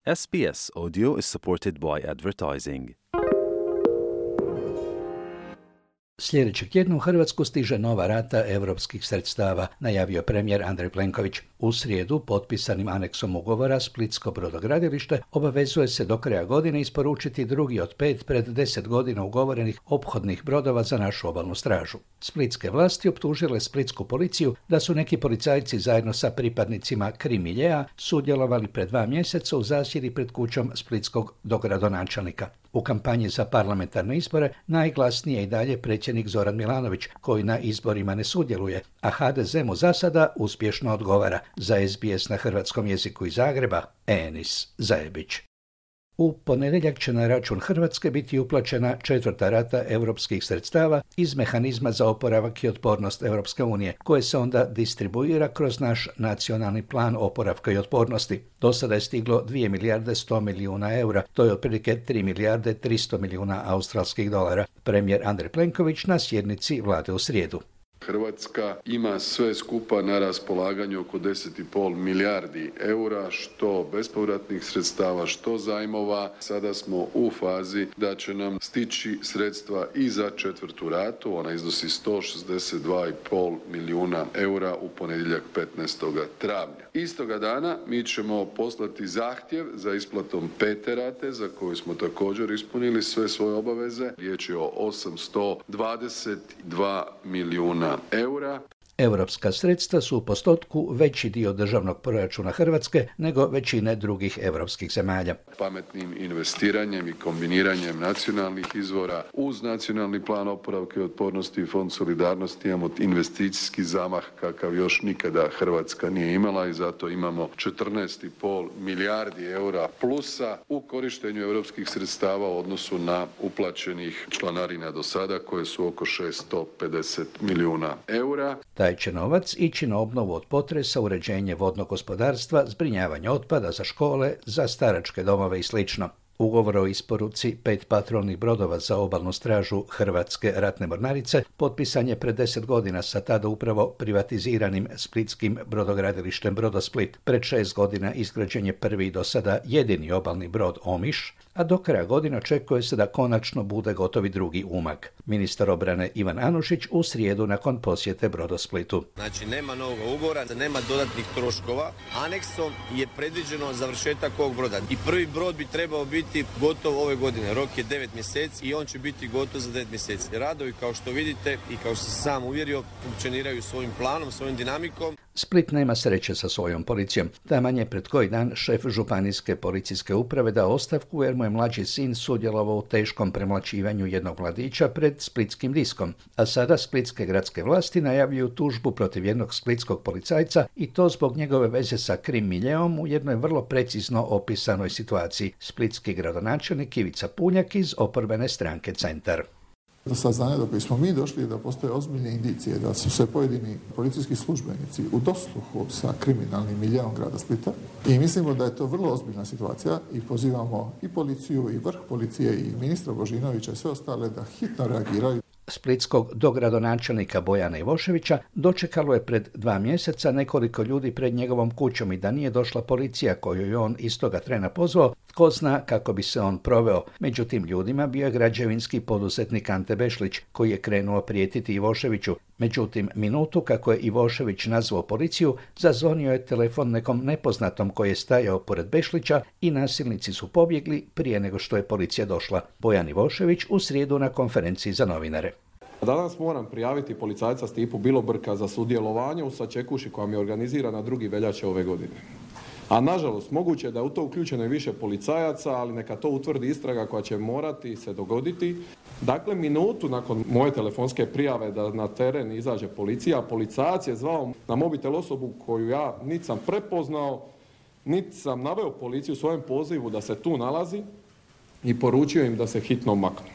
SBS Audio is supported by advertising. Sljedećeg tjedna u Hrvatsku stiže nova rata europskih sredstava, najavio premijer Andrej Plenković. U srijedu, potpisanim aneksom ugovora, Splitsko brodogradilište obavezuje se do kraja godine isporučiti drugi od 5 pred 10 godina ugovorenih ophodnih brodova za našu obalnu stražu. Splitske vlasti optužile splitsku policiju da su neki policajci zajedno sa pripadnicima Krimiljea sudjelovali pred 2 mjeseca u zasjedi pred kućom splitskog dogradonačelnika. U kampanji za parlamentarne izbore najglasniji je i dalje predsjednik Zoran Milanović, koji na izborima ne sudjeluje, a HDZ mu za sada uspješno odgovara. Za SBS na hrvatskom jeziku iz Zagreba, Enis Zajebić. U ponedjeljak će na račun Hrvatske biti uplaćena 4. rata europskih sredstava iz mehanizma za oporavak i otpornost Europske unije, koje se onda distribuira kroz naš nacionalni plan oporavka i otpornosti. Do sada je stiglo 2 milijarde 100 milijuna eura, to je otprilike 3 milijarde 300 milijuna australskih dolara. Premijer Andrej Plenković na sjednici vlade u srijedu. Hrvatska ima sve skupa na raspolaganju oko 10,5 milijardi eura, što bespovratnih sredstava, što zajmova. Sada smo u fazi da će nam stići sredstva i za 4. ratu, ona iznosi 162,5 milijuna eura u ponedjeljak 15. travnja. Istoga dana mi ćemo poslati zahtjev za isplatom 5. rate, za koju smo također ispunili sve svoje obaveze. Riječ je o 822 milijuna eura. Europska sredstva su u postotku veći dio državnog proračuna Hrvatske nego većine drugih europskih zemalja. Pametnim investiranjem i kombiniranjem nacionalnih izvora uz nacionalni plan oporavka i otpornosti i fond solidarnosti imamo investicijski zamah kakav još nikada Hrvatska nije imala i zato imamo 14,5 milijardi eura plusa u korištenju europskih sredstava u odnosu na uplaćenih članarina do sada koje su oko 650 milijuna eura. Taj će novac ići na obnovu od potresa, uređenje vodnog gospodarstva, zbrinjavanje otpada za škole, za staračke domove i sl. Ugovor o isporuci 5 patrolnih brodova za obalnu stražu Hrvatske ratne mornarice potpisan je pred 10 godina sa tada upravo privatiziranim splitskim brodogradilištem Brodosplit. Pred 6 godina izgrađen je prvi do sada jedini obalni brod Omiš, a do kraja godine očekuje se da konačno bude gotovi drugi Umag. Ministar obrane Ivan Anušić u srijedu nakon posjete Brodosplitu. Znači nema novog ugovora, nema dodatnih troškova. Aneksom je predviđeno završetak ovog broda. I prvi brod bi trebao biti gotov ove godine. Rok je 9 mjeseci i on će biti gotov za 9 mjeseci. Radovi, kao što vidite i kao što sam sam uvjerio, funkcioniraju svojim planom, svojim dinamikom. Split nema sreće sa svojom policijom. Taman je pred koji dan šef županijske policijske uprave dao ostavku jer mu je mlađi sin sudjelovao u teškom premlaćivanju jednog mladića pred splitskim diskom. A sada splitske gradske vlasti najavljuju tužbu protiv jednog splitskog policajca i to zbog njegove veze sa Krim-miljeom u jednoj vrlo precizno opisanoj situaciji. Splitski gradonačelnik Ivica Punjak iz oporbene stranke Centar. Do saznanja do koje smo mi došli da postoje ozbiljne indicije da su se pojedini policijski službenici u dosluhu sa kriminalnim miljeom grada Splita i mislimo da je to vrlo ozbiljna situacija i pozivamo i policiju i vrh policije i ministra Božinovića i sve ostale da hitno reagiraju. Splitskog dogradonačelnika Bojana Ivoševića dočekalo je pred 2 mjeseca nekoliko ljudi pred njegovom kućom i da nije došla policija koju je on istoga trena pozvao, tko zna kako bi se on proveo. Među tim ljudima bio je građevinski poduzetnik Ante Bešlić, koji je krenuo prijetiti Ivoševiću. Međutim, minutu kako je Ivošević nazvao policiju, zazvonio je telefon nekom nepoznatom koji je stajao pored Bešlića i nasilnici su pobjegli prije nego što je policija došla. Bojan Ivošević u srijedu na konferenciji za novinare. Danas moram prijaviti policajca Stipu Bilobrka za sudjelovanje u sačekuši koja mi je organizirana 2. veljače ove godine. A nažalost, moguće je da je u to uključeno i više policajaca, ali neka to utvrdi istraga koja će morati se dogoditi. Dakle, minutu nakon moje telefonske prijave da na teren izađe policija, policajac je zvao na mobitel osobu koju ja niti sam prepoznao, niti sam naveo policiju u svojem pozivu da se tu nalazi i poručio im da se hitno maknu.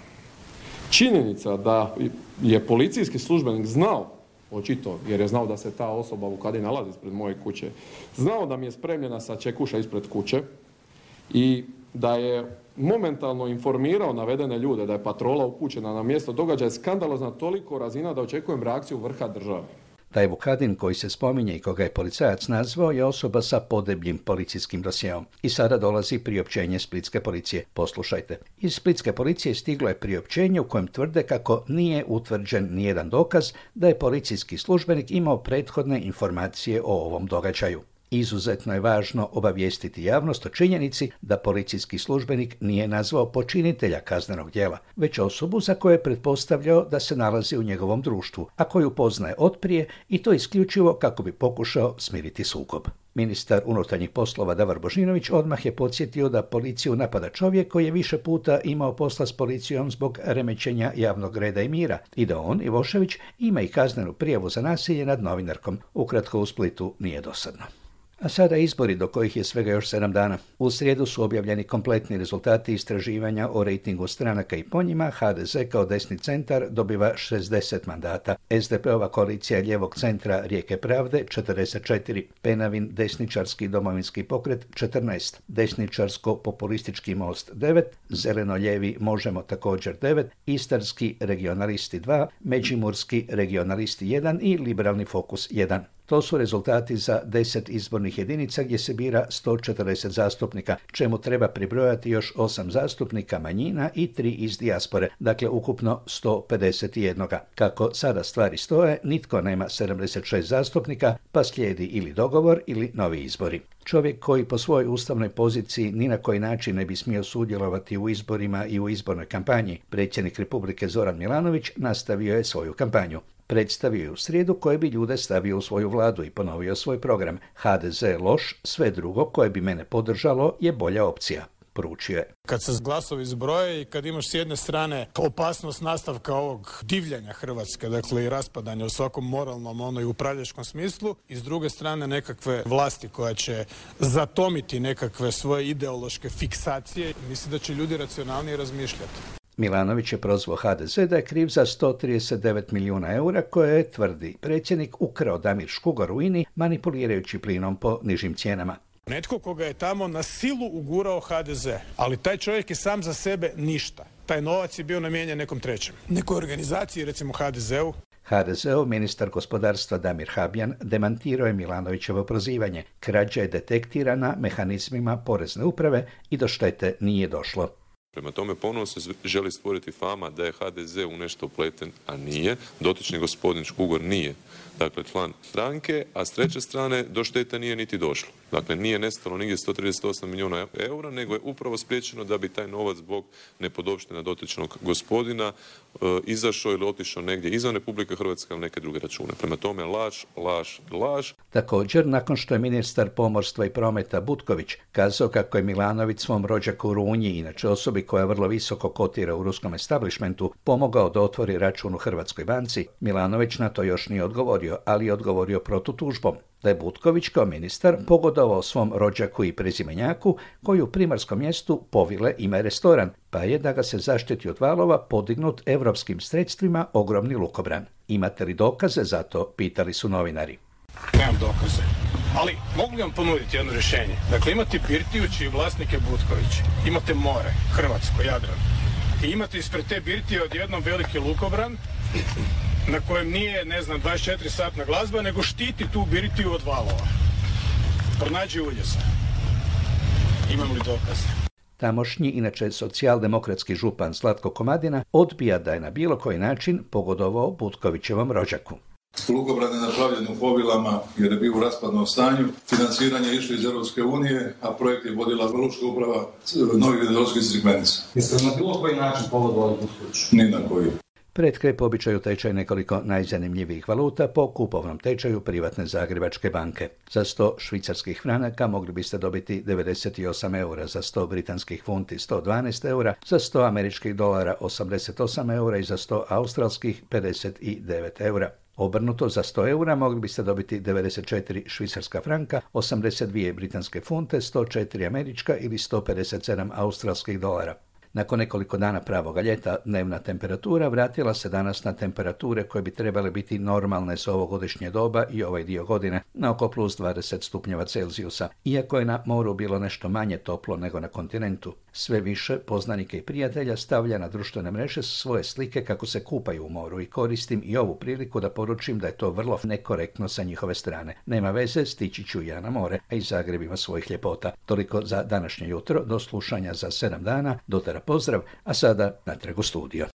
Činjenica da je policijski službenik znao, očito, jer je znao da se ta osoba u kadi nalazi ispred moje kuće, znao da mi je spremljena sačekuša ispred kuće i da je momentalno informirao navedene ljude da je patrola upućena na mjesto događaja, skandalozna toliko razina da očekujem reakciju vrha države. Taj Vukadin koji se spominje i koga je policajac nazvao je osoba sa podebljim policijskim dosjeom. I sada dolazi priopćenje splitske policije. Poslušajte. Iz splitske policije stiglo je priopćenje u kojem tvrde kako nije utvrđen nijedan dokaz da je policijski službenik imao prethodne informacije o ovom događaju. Izuzetno je važno obavijestiti javnost o činjenici da policijski službenik nije nazvao počinitelja kaznenog djela, već osobu za koju je pretpostavljao da se nalazi u njegovom društvu, a koju poznaje otprije i to isključivo kako bi pokušao smiriti sukob. Ministar unutarnjih poslova Davor Božinović odmah je podsjetio da policiju napada čovjek koji je više puta imao posla s policijom zbog remećenja javnog reda i mira i da on, Ivošević, ima i kaznenu prijavu za nasilje nad novinarkom. Ukratko, u Splitu nije dosadno. A sada izbori do kojih je svega još 7 dana. U srijedu su objavljeni kompletni rezultati istraživanja o rejtingu stranaka i po njima. HDZ kao desni centar dobiva 60 mandata. SDP-ova koalicija lijevog centra Rijeke pravde 44. Penavin desničarski domovinski pokret 14. Desničarsko-populistički most 9. Zeleno-lijevi Možemo također 9. Istarski regionalisti 2. Međimurski regionalisti 1 i liberalni fokus 1. To su rezultati za 10 izbornih jedinica gdje se bira 140 zastupnika, čemu treba pribrojati još 8 zastupnika manjina i 3 iz dijaspore, dakle ukupno 151. Kako sada stvari stoje, nitko nema 76 zastupnika, pa slijedi ili dogovor ili novi izbori. Čovjek koji po svojoj ustavnoj poziciji ni na koji način ne bi smio sudjelovati u izborima i u izbornoj kampanji, predsjednik Republike Zoran Milanović nastavio je svoju kampanju. Predstavio je u srijedu koje bi ljude stavio u svoju vladu i ponovio svoj program. HDZ je loš, sve drugo koje bi mene podržalo je bolja opcija. Poručio je. Kad se glasovi zbroje i kad imaš s jedne strane opasnost nastavka ovog divljanja Hrvatske, dakle i raspadanja u svakom moralnom i upravljačkom smislu, i s druge strane nekakve vlasti koja će zatomiti nekakve svoje ideološke fiksacije, mislim da će ljudi racionalnije razmišljati. Milanović je prozvao HDZ da je kriv za 139 milijuna eura koje je, tvrdi predsjednik, ukrao Damir Škugor u INI manipulirajući plinom po nižim cijenama. Netko koga je tamo na silu ugurao HDZ, ali taj čovjek je sam za sebe ništa. Taj novac je bio namijenjen nekom trećem. Nekoj organizaciji, recimo HDZ-u. HDZ-ov ministar gospodarstva Damir Habjan demantirao je Milanovićevo prozivanje. Krađa je detektirana mehanizmima porezne uprave i do štete nije došlo. Prema tome ponovno se želi stvoriti fama da je HDZ u nešto upleten, a nije. Dotični gospodin Škugor nije, dakle, član stranke, a s treće strane do štete nije niti došlo. Dakle, nije nestalo nigdje 138 milijuna eura, nego je upravo spriječeno da bi taj novac zbog nepodopština dotičnog gospodina izašao ili otišao negdje izvan Republike Hrvatske ili neke druge račune. Prema tome, laž. Također, nakon što je ministar pomorstva i prometa Butković kazao kako je Milanović svom rođaku Runji, inače osobi koja vrlo visoko kotira u ruskom establishmentu, pomogao da otvori račun u Hrvatskoj banci, Milanović na to još nije odgovorio, ali je odgovorio protutužbom. Da je Butković kao ministar pogodovao svom rođaku i prezimenjaku koji u primarskom mjestu Povile ima restoran, pa je, da ga se zaštiti od valova, podignut europskim sredstvima ogromni lukobran. Imate li dokaze za to, pitali su novinari. Nemam dokaze, ali mogu li vam ponuditi jedno rješenje? Dakle, imate birtiju čiji vlasnik je Butković, imate more, Hrvatsko, Jadran, i imate ispred te birtije odjednom veliki lukobran na kojem nije, 24-satna glazba, nego štiti tu birtiju od valova. Pronađi uljeza. Imam li dokaze? Tamošnji, inače socijaldemokratski župan Zlatko Komadina, odbija da je na bilo koji način pogodovao Butkovićevom rođaku. Lukobran je napravljen u Povilama jer je bio u raspadnom stanju. Financiranje je išlo iz Europske unije, a projekt je vodila Lučka uprava Novi Vinodolski iz Crikvenica. Jeste na bilo koji način pogodovali Butkoviću? Ni na koji. Pred kraj po običaju tečaj nekoliko najzanimljivijih valuta po kupovnom tečaju privatne Zagrebačke banke. Za 100 švicarskih franaka mogli biste dobiti 98 eura, za 100 britanskih funti 112 eura, za 100 američkih dolara 88 eura i za 100 australskih 59 eura. Obrnuto, za 100 eura mogli biste dobiti 94 švicarska franka, 82 britanske funte, 104 američka ili 157 australskih dolara. Nakon nekoliko dana pravoga ljeta, dnevna temperatura vratila se danas na temperature koje bi trebale biti normalne za ovogodišnje doba i ovaj dio godine, na oko plus 20 stupnjeva Celzijusa, iako je na moru bilo nešto manje toplo nego na kontinentu. Sve više poznanike i prijatelja stavlja na društvene mreže svoje slike kako se kupaju u moru i koristim i ovu priliku da poručim da je to vrlo nekorektno sa njihove strane. Nema veze, stići ću ja na more, a i Zagreb ima svojih ljepota. Toliko za današnje jutro, do slušanja za 7 dana, dotera pozdrav, a sada natrag u studio.